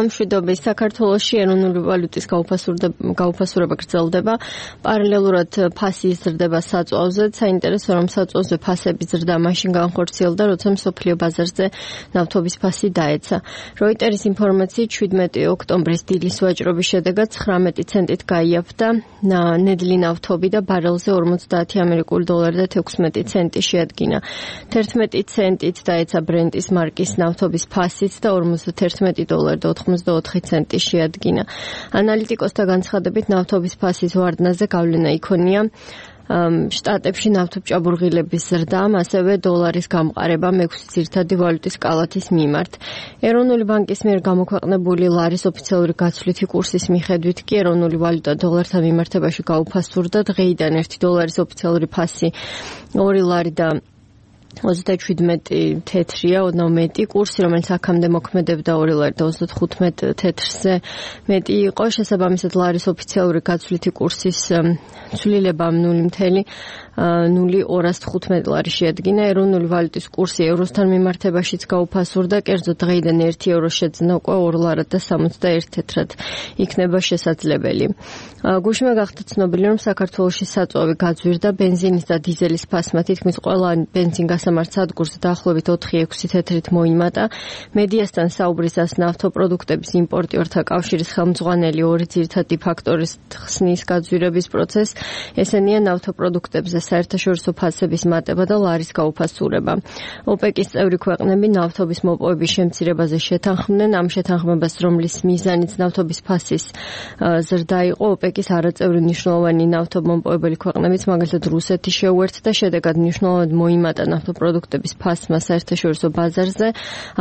მშვიდობის საქართველოში ეროვნული ვალუტის გაუფასურება გრძელდება. პარალელურად ფასი იზრდება საწვავზე. საინტერესო რომ საწვავზე ფასების ზრდა მაშინ განხორციელდა, როცა მსოფლიო ბაზარზე ნავთობის ფასი დაეცა. როიტერის ინფორმაციით 17 ოქტომბრის დილის ვაჭრობის შედეგად 19 ცენტით გაიაფთა ნედლი ნავთობი და ბარელზე 50 ამერიკული დოლარი და 16 ცენტი შეადგინა. 11 ცენტით დაეცა ბრენტის მარკის ნავთობის ფასიც და 51 დოლარი და 84 ცენტი შეადგინა. ანალიტიკოსთა განცხადებით ნავთობის ფასის ვარდნაზე გავლენა იქონია შტატებში ნავთობჭაბურღილების ზრდამ, ასევე დოლარის გამყარებამ 6 ძირითადი ვალუტის კალათის მიმართ. ეროვნული ბანკის მიერ გამოქვეყნებული ლარის ოფიციალური გაცვლითი კურსის მიხედვით კი ეროვნული ვალუტა დოლართან მიმართებაში გაუფასურდა. დღეიდან 1 დოლარის ოფიციალური ფასი 2 ლარი და 37 თეთრია, ოდნავ მეტი კურსი, რომელიც აქამდე მოქმედებდა 2 ლარი და 35 თეთრზე მეტი იყო. შესაბამისად, ლარის ოფიციალური გაცვლითი კურსის ცვლილება 0.0215 ლარი შეადგინა. ეროვნული ვალუტის კურსი ევროსთან მიმართებაშიც გაუფასურდა, კერძოდ დღეიდან 1 ევრო შეძნა უკვე 2 ლარად და 61 თეთრად იქნება შესაძლებელი. გუშინვე გახდა ცნობილი, რომ საქართველოში საწვავი გაძვირდა ბენზინის და დიზელის ფასმა თითქმის ყველა ბენზინგასამართ სადგურზე დაახლოებით 4-6 თეთრით მოიმატა. მედიასთან საუბრისას ნავთობპროდუქტების იმპორტიორთა კავშირის ხელმძღვანელი ორი ძირითადი ფაქტორის ხსნის გაძვირების პროცესს, ესენია ნავთობპროდუქტებზე საერთაშორისო ფასების მატება და ლარის გაუფასურება. ოპეკის წევრი ქვეყნები ნავთობის მოპოვების შემცირებაზე შეთანხმდნენ. ამ შეთანხმებას, რომლის მიზანიც ნავთობის ფასის ზრდა იყო, ოპეკის არაწევრი მნიშვნელოვანი ნავთობმომპოვებელი ქვეყნებიც, მაგალითად რუსეთი შეუერთდა, შედეგად მნიშვნელოვნად მოიმატა ნავთობპროდუქტების ფასმა საერთაშორისო ბაზარზე.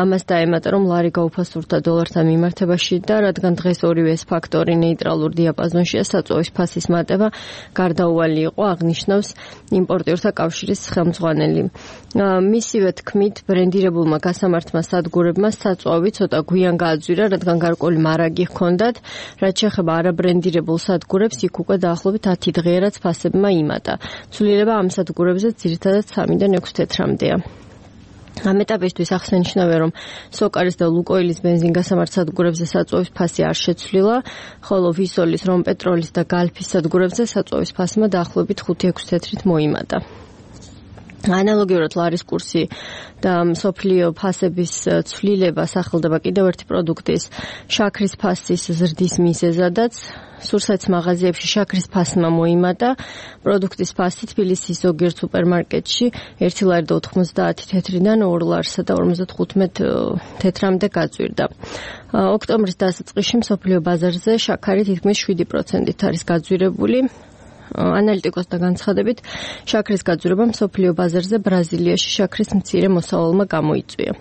ამას დაემატა, რომ ლარი გაუფასურდა დოლართან მიმართებაში და რადგან დღეს ორივე ეს ფაქტორი ნეიტრალურ დიაპაზონშია, საწვავის ფასის მატება გარდაუვალი იყო, აღნიშნავს იმპორტიორთა კავშირის ხელმძღვანელი. მისივე თქმით, ბრენდირებულმა გასამართმა სადგურებმა საწვავი ცოტა გვიან გააძვირა, რადგან გარკვეული მარაგი ჰქონდათ, რაც შეეხება არაბრენდირებულ სადგურებს, იქ უკვე დაახლოებით 10 დღეა, რაც ფასებმა იმატა. ცვლილება ამ სადგურებზე ძირითადად 3-დან 6 თეთრამდეა. ამ ეტაპისთვის აღსანიშნავია, რომ სოკარის და ლუკოილის ბენზინგასამართ სადგურებზე საწვავის ფასი არ შეცვლილა, ხოლო ვისოლის, რომპეტროლის და გალფის სადგურებზე საწვავის ფასმა დაახლოებით 5-6 თეთრით მოიმატა. ანალოგიურად ლარის კურსი და მსოფლიო ფასების ცვლილება სახელდება კიდევ ერთი პროდუქტის შაქრის ფასის ზრდის მიზეზადაც. სურსათის მაღაზიებში შაქრის ფასმა მოიმატა. პროდუქტის ფასი თბილისის ზოგიერთ სუპერმარკეტში 1 ლარი და 90 თეთრიდან 2 ლარსა და 55 თეთრამდე გაძვირდა. ოქტომბრის დასაწყისში მსოფლიო ბაზარზე შაქარი თითქმის 7%-ით არის გაძვირებული. ანალიტიკოსთა განცხადებით, შაქრის გაძვირება მსოფლიო ბაზარზე ბრაზილიაში შაქრის მცირე მოსავალმა გამოიწვია.